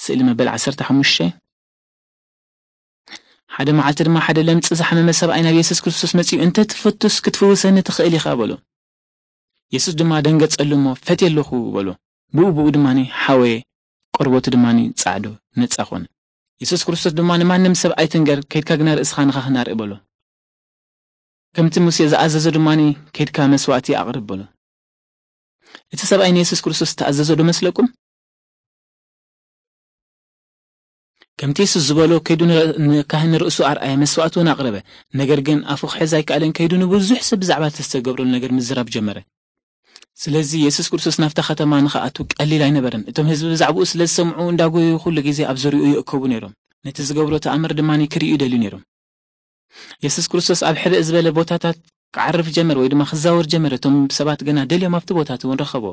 ስእሊ መበል ዓሰርተ ሓሙሽተ። ሓደ መዓልቲ ድማ ሓደ ለምጺ ዝሓመመ ሰብኣይ ናብ የሱስ ክርስቶስ መጺኡ፣ "እንተ ትፈቱስ ክትፍውሰኒ ትኽእል ኢኻ" በሎ። የሱስ ድማ ደንገጸሉ እሞ፣ "ፈትየ ኣለኹ" በሎ። ብኡ ብኡ ድማ ሓወየ፣ ቆርበቱ ድማ ጻዕዶ ነጻ ኾነ። የሱስ ክርስቶስ ድማ፣ "ንማንም ሰብ ኣይትንገር፣ ከይድካ ግና ርእስኻ ንኻህን ኣርኢ" በሎ። ከምቲ ሙሴ ዝኣዘዞ ድማ፣ "ከይድካ መስዋእቲ ኣቕርብ" በሎ። እቲ ሰብኣይ ንየሱስ ክርስቶስ ዝተኣዘዞ ዶ መስለኩም? ከምቲ የሱስ ዝበሎ፣ ከይዱ ን-፣ ንካህን ርእሱ ኣርኣየ፣ መስዋእቲ እውን ኣቕረበ። ነገር ግን ኣፉ ክሕዝ ኣይከኣለን። ከይዱ ንብዙሕ ሰብ ብዛዕባ እቲ ዝተገብረሉ ነገር ምዝራብ ጀመረ። ስለዚ የሱስ ክርስቶስ ናብታ ከተማ ንኽኣቱ ቀሊል ኣይነበረን። እቶም ህዝቢ ብዛዕባኡ ስለ ዝሰምዑ፣ እንዳጎዩ ኩሉ ግዜ ኣብ ዙርያኡ ይእከቡ ነይሮም። ነቲ ዝገብሮ ተኣምር ድማ ክርእዩ ይደልዩ ነይሮም። የሱስ ክርስቶስ ኣብ ሕብእ ዝበለ ቦታታት ክዓርፍ ጀመር፣ ወይ ድማ ክዛወር ጀመረ። እቶም ሰባት ግና ደልዮም ኣብቲ ቦታ እቲ እውን ረኸቦ።